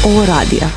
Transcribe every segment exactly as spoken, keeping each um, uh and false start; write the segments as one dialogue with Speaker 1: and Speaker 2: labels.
Speaker 1: O radija.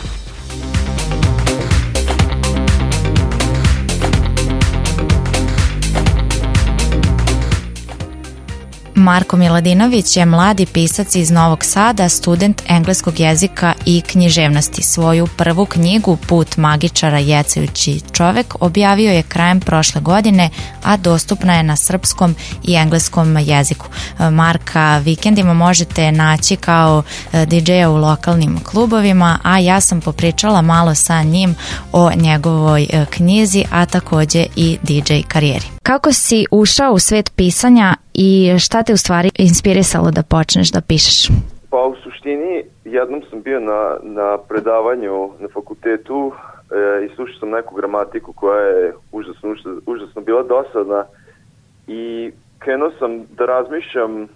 Speaker 2: Marko Miladinović je mladi pisac iz Novog Sada, student engleskog jezika i književnosti. Svoju prvu knjigu Put magičara jecajući čovek objavio je krajem prošle godine, a dostupna je na srpskom i engleskom jeziku. Marka vikendima možete naći kao di džeja u lokalnim klubovima, a ja sam popričala malo sa njim o njegovoj knjizi, a takođe i di džej karijeri. Kako si ušao u svet pisanja i šta te u stvari inspirisalo da počneš da pišeš?
Speaker 3: Pa u suštini jednom sam bio na, na predavanju na fakultetu e, i slušao sam neku gramatiku koja je užasno, užasno bila dosadna i krenuo sam da razmišljam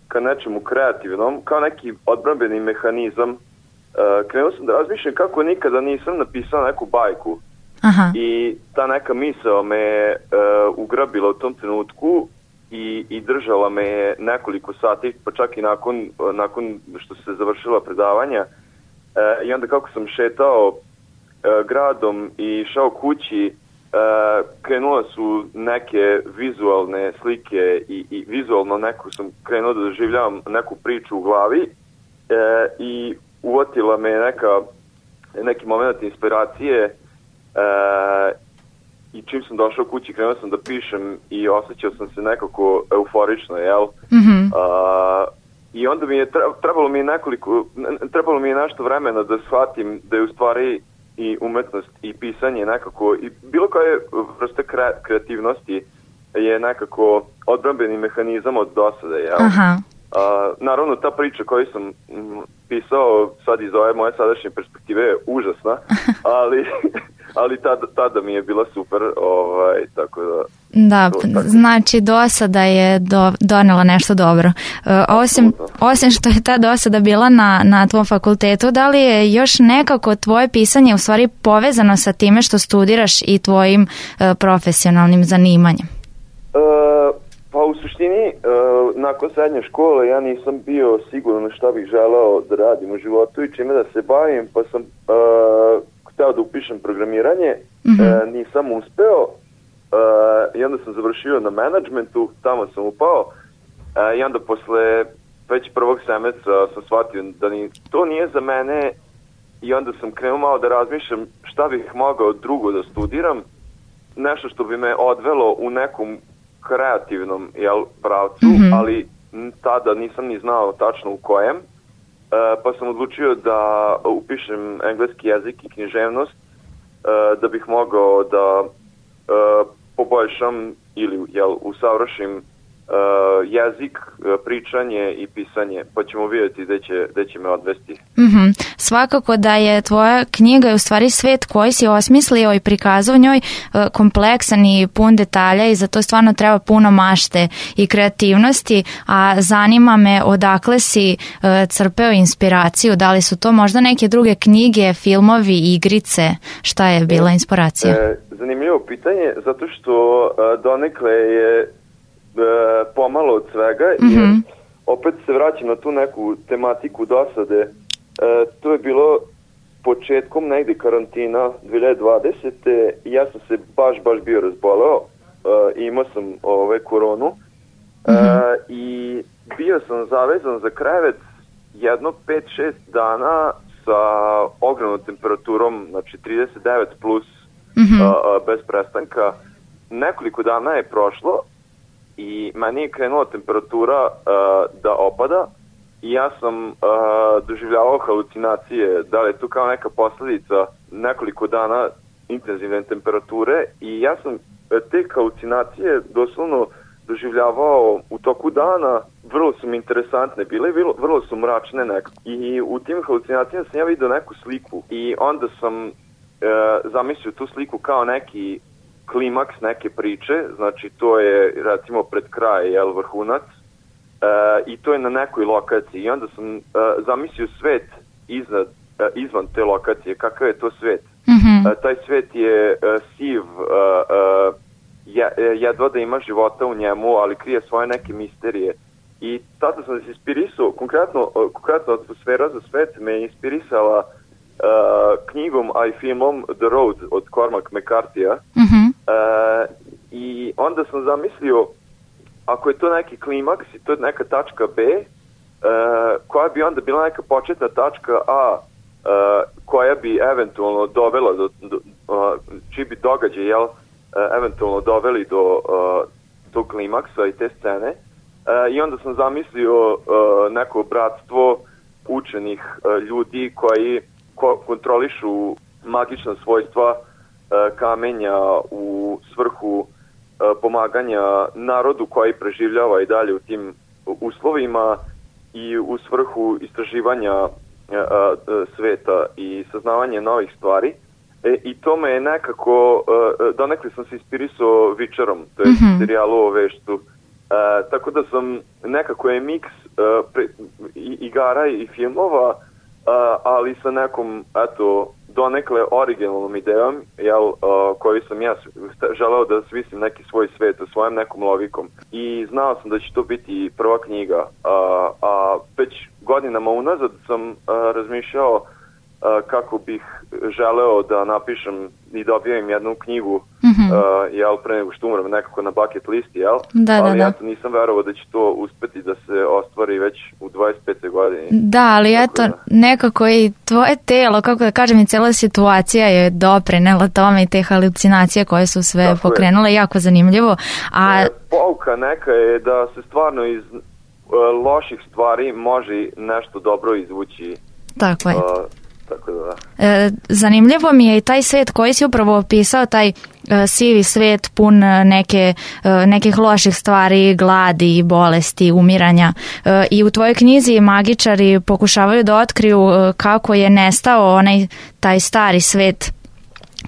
Speaker 3: ka nečemu kreativnom, kao neki odbrambeni mehanizam. E, krenuo sam da razmišljam kako nikada nisam napisao neku bajku.
Speaker 2: Aha.
Speaker 3: I ta neka misao me e, ugrabila u tom trenutku i, i držala me nekoliko sati, pa čak i nakon, nakon što se završila predavanja. E, I onda kako sam šetao e, gradom i šao kući, e, krenula su neke vizualne slike i, i vizualno neku sam krenuo da doživljavam neku priču u glavi e, i uvotila me neka, neki moment inspiracije. E, i čim sam došao kući krenuo sam da pišem i osjećao sam se nekako euforično, jel?
Speaker 2: Mm-hmm.
Speaker 3: A, i onda mi je trebalo mi je nekoliko trebalo mi je nešto vremena da shvatim da je u stvari i umetnost i pisanje nekako i bilo koja vrsta kreativnosti je nekako odbrambeni mehanizam od dosade, jel?
Speaker 2: Aha.
Speaker 3: A, naravno ta priča koju sam m, pisao sad iz ove moje sadašnje perspektive je užasna, ali ali tada, tada mi je bila super, ovaj, tako da...
Speaker 2: Da, to, tako. Znači dosada je do, donela nešto dobro. E, osim, osim što je ta dosada bila na, na tvom fakultetu, da li je još nekako tvoje pisanje u stvari povezano sa time što studiraš i tvojim e, profesionalnim zanimanjem?
Speaker 3: E, pa u suštini, e, nakon srednje škole ja nisam bio siguran šta bih želeo da radim u životu i čime da se bavim, pa sam... E, hteo da upišem programiranje, mm-hmm. e, nisam uspeo e, i onda sam završio na menadžmentu, tamo sam upao e, i onda posle već prvog semestra sam shvatio da ni, to nije za mene i onda sam krenuo malo da razmišljam šta bih mogao drugo da studiram, nešto što bi me odvelo u nekom kreativnom jel, pravcu, mm-hmm. ali tada nisam ni znao tačno u kojem. Uh, pa sam odlučio da upišem engleski jezik i književnost uh, da bih mogao da uh, poboljšam ili jel, usavršim uh, jezik, uh, pričanje i pisanje, pa ćemo vidjeti gde će, gde će me odvesti.
Speaker 2: Mm-hmm. Svakako da je tvoja knjiga u stvari svet koji si osmislio i prikazao njoj uh, kompleksan i pun detalja i za to stvarno treba puno mašte i kreativnosti, a zanima me odakle si uh, crpeo inspiraciju, da li su to možda neke druge knjige, filmovi, igrice, šta je bila inspiracija?
Speaker 3: E, zanimljivo pitanje, zato što uh, donekle je uh, pomalo od svega, mm-hmm. jer opet se vraćam na tu neku tematiku dosade. E, to je bilo početkom negde karantina dve hiljade dvadesete i ja sam se baš, baš bio razboleo e, i imao sam ove, koronu e, mm-hmm. i bio sam zavezan za krevet jedno pet šest dana sa ogromnom temperaturom, znači trideset devet plus mm-hmm. a, a, bez prestanka. Nekoliko dana je prošlo i meni je krenula temperatura a, da opada. I ja sam uh, doživljavao halucinacije, da li je to kao neka posljedica nekoliko dana intenzivne temperature i ja sam te halucinacije doslovno doživljavao u toku dana, vrlo su mi interesantne bile, vrlo, vrlo su mračne nekako. I u tim halucinacijama sam ja vidio neku sliku i onda sam uh, zamislio tu sliku kao neki klimaks neke priče, znači to je recimo pred kraj, jel, vrhunac. Uh, i to je na nekoj lokaciji i onda sam uh, zamislio svet iznad, uh, izvan te lokacije, kakav je to svet. Mm-hmm. Uh, taj svet je uh, siv, uh, uh, je, jedva da ima života u njemu, ali krije svoje neke misterije. I tada sam se inspirisao, konkretno, uh, konkretno atmosfera za svet me je inspirisala knjigom, a i filmom The Road od Cormac McCarthyja.
Speaker 2: Mm-hmm.
Speaker 3: Uh, I onda sam zamislio, ako je to neki klimaks i to je neka tačka B, uh, koja bi onda bila neka početna tačka A, uh, koja bi eventualno dovela do, do uh, čiji bi događaj, jel, uh, eventualno doveli do uh, tog klimaksa i te scene. Uh, I onda sam zamislio uh, neko bratstvo učenih uh, ljudi koji ko kontrolišu magična svojstva uh, kamenja u svrhu uh, pomaganja narodu koji preživljava i dalje u tim uslovima i u svrhu istraživanja uh, uh, sveta i saznavanja novih stvari. E, I to me je nekako, uh, donekle sam se inspirisao Witcherom, to je mm-hmm. serijalu o veštu. Uh, tako da sam, nekako je miks uh, pre, i, igara i filmova, uh, ali sa nekom, eto, donekle originalnom idejom, jel, uh, koju sam ja želeo da smislim neki svoj svet u svojom nekom logikom. I znao sam da će to biti prva knjiga, uh, a već godinama unazad sam uh, razmišljao uh, kako bih želeo da napišem i dobijem jednu knjigu, mm-hmm. uh, jel, pre nego što umrem, nekako na bucket listi, jel?
Speaker 2: Da,
Speaker 3: ali
Speaker 2: da,
Speaker 3: ja to nisam verovao da će to uspeti da se ostvari već u dvadeset pete godini.
Speaker 2: Da, ali
Speaker 3: tako
Speaker 2: eto,
Speaker 3: da.
Speaker 2: Nekako i tvoje telo, kako da kažem, i cela situacija je doprinela tome i te halucinacije koje su sve tako pokrenule, je. Jako zanimljivo. A...
Speaker 3: E, pouka neka je da se stvarno iz uh, loših stvari može nešto dobro izvući.
Speaker 2: Tako je.
Speaker 3: Uh, Tako da, da.
Speaker 2: E, zanimljivo mi je i taj svet koji si upravo opisao, taj e, sivi svet pun neke, e, nekih loših stvari, gladi, bolesti, umiranja. E, I u tvojoj knjizi magičari pokušavaju da otkriju e, kako je nestao onaj taj stari svet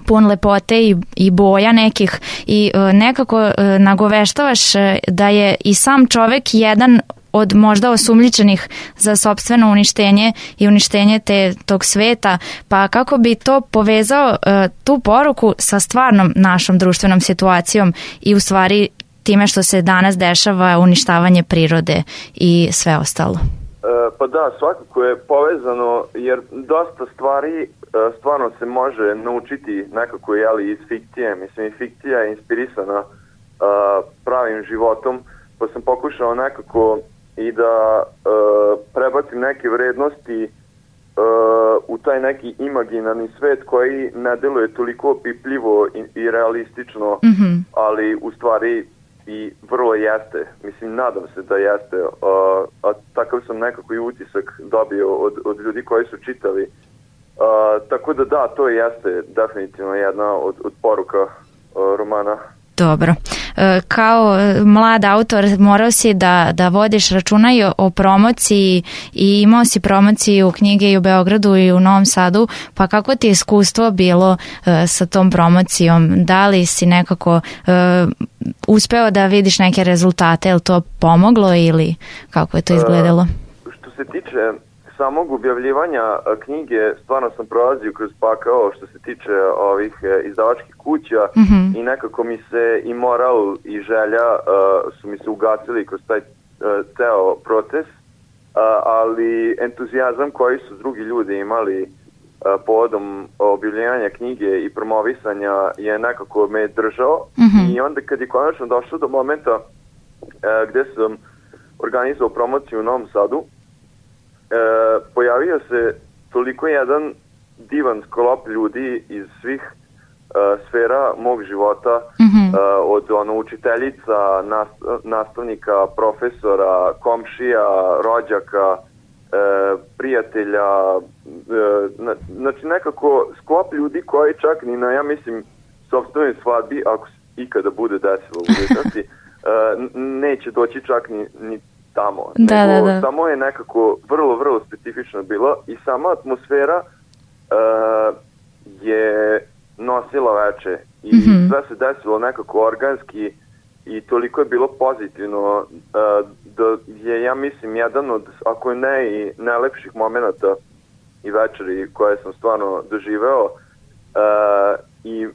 Speaker 2: pun lepote i, i boja nekih i e, nekako e, nagoveštavaš e, da je i sam čovek jedan od možda osumnjičenih za sopstveno uništenje i uništenje te, tog sveta, pa kako bi to povezao uh, tu poruku sa stvarnom našom društvenom situacijom i u stvari time što se danas dešava uništavanje prirode i sve ostalo?
Speaker 3: E, pa da, svakako je povezano jer dosta stvari e, stvarno se može naučiti nekako, jeli, iz fikcije. Mislim, fikcija je inspirisana e, pravim životom, pa sam pokušao nekako i da uh, prebacim neke vrednosti uh, u taj neki imaginarni svet koji ne deluje toliko opipljivo i, i realistično, mm-hmm. ali u stvari i vrlo jeste. Mislim, nadam se da jeste. Uh, a takav sam nekako i utisak dobio od, od ljudi koji su čitali. Uh, tako da da, to jeste definitivno jedna od, od poruka uh, romana.
Speaker 2: Dobro. Kao mlad autor morao si da, da vodiš računa i o promociji i imao si promociju knjige i u Beogradu i u Novom Sadu, pa kako ti je iskustvo bilo uh, sa tom promocijom? Da li si nekako uh, uspeo da vidiš neke rezultate? Je li to pomoglo ili kako je to izgledalo?
Speaker 3: Uh, što se tiče samog objavljivanja knjige, stvarno sam prolazio kroz pakao što se tiče ovih izdavačkih kuća, mm-hmm. i nekako mi se i moral i želja uh, su mi se ugasili kroz taj uh, ceo proces, uh, ali entuzijazam koji su drugi ljudi imali uh, povodom objavljivanja knjige i promovisanja je nekako me držao, mm-hmm. i onda kad je konačno došlo do momenta uh, gde sam organizovao promociju u Novom Sadu, E, pojavio se toliko jedan divan sklop ljudi iz svih e, sfera mog života, mm-hmm. e, od ono, učiteljica, nas, nastavnika, profesora, komšija, rođaka, e, prijatelja, e, znači nekako sklop ljudi koji čak ni na, ja mislim, sopstvenoj svadbi, ako ikada bude desilo u budućnosti, e, neće doći čak ni, ni tamo,
Speaker 2: da,
Speaker 3: nego
Speaker 2: da, da.
Speaker 3: samo je nekako vrlo, vrlo specifično bilo i sama atmosfera uh, je nosila veče i mm-hmm. sve se desilo nekako organski i toliko je bilo pozitivno uh, da je, ja mislim, jedan od, ako ne i najlepših momenata i večeri koje sam stvarno doživeo, uh, i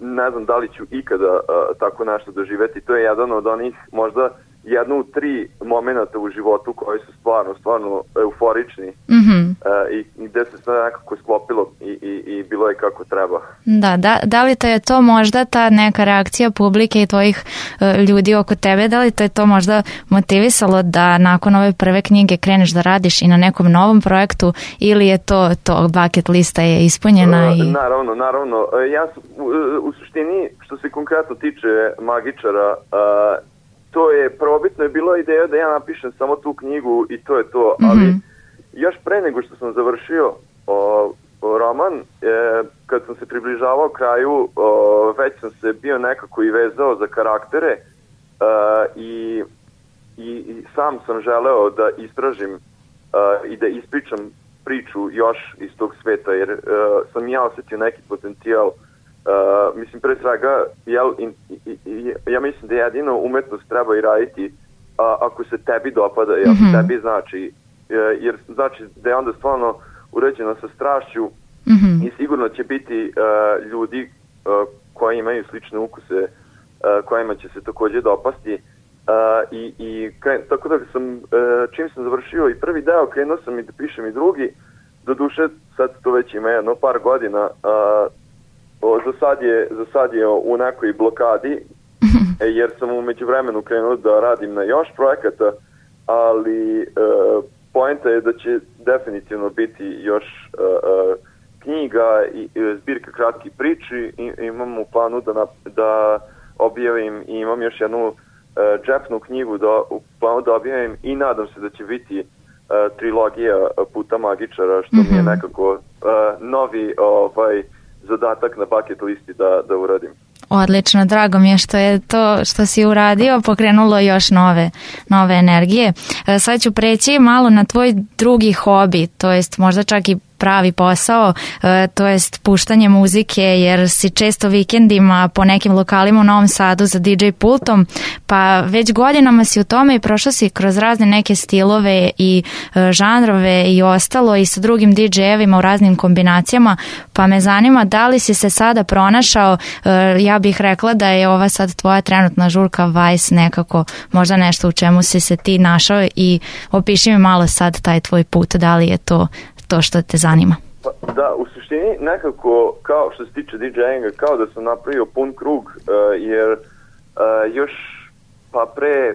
Speaker 3: ne znam da li ću ikada uh, tako nešto doživeti. To je jedan od onih možda jednu tri momenata u životu koji su stvarno, stvarno euforični
Speaker 2: mm-hmm.
Speaker 3: uh, i, i gde se sve nekako sklopilo i, i, i bilo je kako treba.
Speaker 2: Da, da, da li te je to možda ta neka reakcija publike i tvojih uh, ljudi oko tebe, da li te je to možda motivisalo da nakon ove prve knjige kreneš da radiš i na nekom novom projektu ili je to, to bucket lista je ispunjena? I...
Speaker 3: Uh, naravno, naravno. Uh, ja sam, u, u suštini, što se konkretno tiče Magičara, uh, to je prvobitno je bila ideja da ja napišem samo tu knjigu i to je to, ali mm-hmm. još pre nego što sam završio o, o roman, e, kad sam se približavao kraju, o, već sam se bio nekako i vezao za karaktere e, i, i, i sam sam želeo da istražim e, i da ispričam priču još iz tog sveta, jer e, sam ja osetio neki potencijal. Uh, mislim, pre svega, jel, in, i, i, ja mislim da jedino umetnost treba i raditi a, ako se tebi dopada i ako mm-hmm. tebi znači, jer znači da je onda stvarno uređeno sa strašću mm-hmm. i sigurno će biti uh, ljudi uh, koji imaju slične ukuse uh, kojima će se takođe dopasti uh, i, i kren, tako da sam, uh, čim sam završio i prvi deo, krenuo sam i da pišem i drugi, do duše sad to već ima jedno par godina, uh, O, za, sad je, za sad je u nekoj blokadi, e, jer sam u međuvremenu krenuo da radim na još projekata, ali e, poenta je da će definitivno biti još e, e, knjiga i e, zbirka kratkih priči i imam u planu da, na, da objavim i imam još jednu e, džepnu knjigu da, u planu da objavim i nadam se da će biti e, trilogija Puta Magičara, što mm-hmm. mi je nekako e, novi ovaj zadatak na bucket listi da, da uradim.
Speaker 2: Odlično, drago mi je što je to što si uradio pokrenulo još nove, nove energije. Sad ću preći malo na tvoj drugi hobi, to jest možda čak i pravi posao, to jest puštanje muzike, jer si često vikendima po nekim lokalima u Novom Sadu za D J pultom, pa već godinama si u tome i prošao si kroz razne neke stilove i žanrove i ostalo i sa drugim D J-evima u raznim kombinacijama, pa me zanima da li si se sada pronašao, ja bih rekla da je ova sad tvoja trenutna žurka Vice nekako možda nešto u čemu si se ti našao i opiši mi malo sad taj tvoj put, da li je to to što te zanima?
Speaker 3: Pa, da, u suštini nekako, kao što se tiče DJinga, kao da sam napravio pun krug, uh, jer uh, još pa pre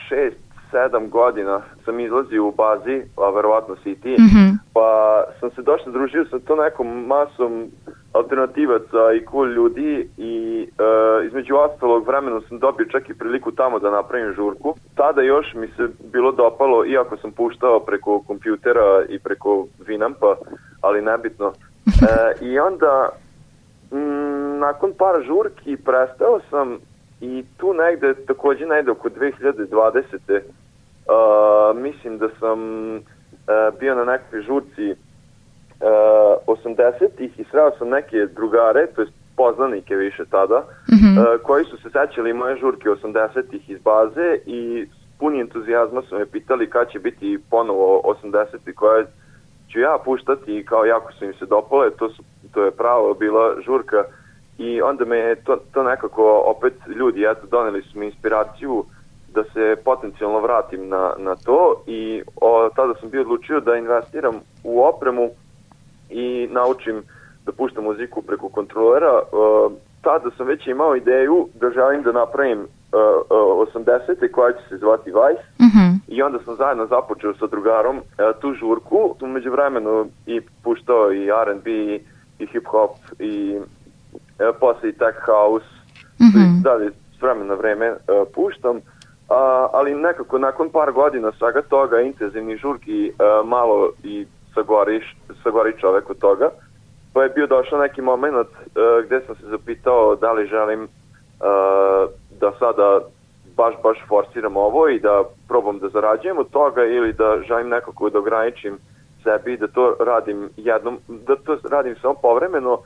Speaker 3: šest, sedam godina sam izlazio u bazi, a verovatno si i ti, mm-hmm. pa sam se došlo družio sa to nekom masom alternativaca i cool ljudi i uh, između ostalog vremenu sam dobio čak i priliku tamo da napravim žurku. Tada još mi se bilo dopalo, iako sam puštao preko kompjutera i preko Winampa, ali nebitno. Uh, I onda m, nakon par žurki prestao sam i tu negde, takođe negde oko dve hiljade dvadesete. Uh, mislim da sam uh, bio na nekoj žurci Uh, osamdesetih i sreo sam neke drugare, to je poznanike više tada, mm-hmm. uh, koji su se sećali moje žurke osamdesetih iz baze i s puni entuzijazma su me pitali kad će biti ponovo osamdesetih koje ću ja puštati i kao jako su im se dopale, to, su, to je pravo bila žurka i onda me je to, to nekako opet ljudi, eto, doneli su mi inspiraciju da se potencijalno vratim na, na to i o, tada sam bio odlučio da investiram u opremu i naučim da puštam muziku preko kontrolera. Uh, tada sam već imao ideju da želim da napravim uh, uh, osamdesete koja će se zvati Vice mm-hmm. i onda sam zajedno započeo sa drugarom uh, tu žurku. U međuvremenu i puštao i R and B i hip hop i uh, posle i tech house mm-hmm. i dalje s vremena na vreme uh, puštam. Uh, ali nekako nakon par godina svega toga intenzivnih žurki uh, malo i sagoriš, sagori čovek od toga. Pa je bio došao neki moment uh, gde sam se zapitao da li želim uh, da sada baš, baš forsiram ovo i da probam da zarađujem od toga ili da želim nekako da ograničim sebi, da to radim jednom, da to radim samo povremeno uh,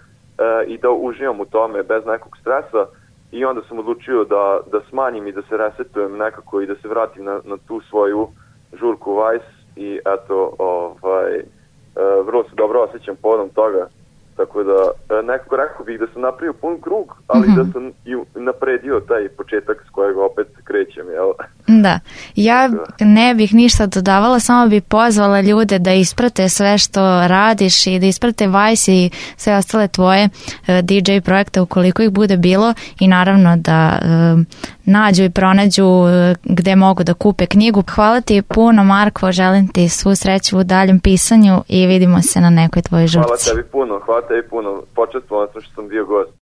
Speaker 3: i da uživam u tome bez nekog stresa i onda sam odlučio da, da smanjim i da se resetujem nekako i da se vratim na, na tu svoju žurku Vice i eto, ovaj, uh, vrlo se dobro osjećam povodom toga tako da nekako rekao bih da sam napravio pun krug, ali mm-hmm. da sam i napredio taj početak s kojeg opet krećem, jel?
Speaker 2: Da, ja ne bih ništa dodavala, samo bih pozvala ljude da isprate sve što radiš i da isprate Vice i sve ostale tvoje D J projekte ukoliko ih bude bilo i naravno da um, nađu i pronađu gde mogu da kupe knjigu. Hvala ti puno, Marko, želim ti svu sreću u daljem pisanju i vidimo se na nekoj tvojoj žurci.
Speaker 3: Hvala tebi puno, hvala tebi puno, počastvovan sam što sam bio gost.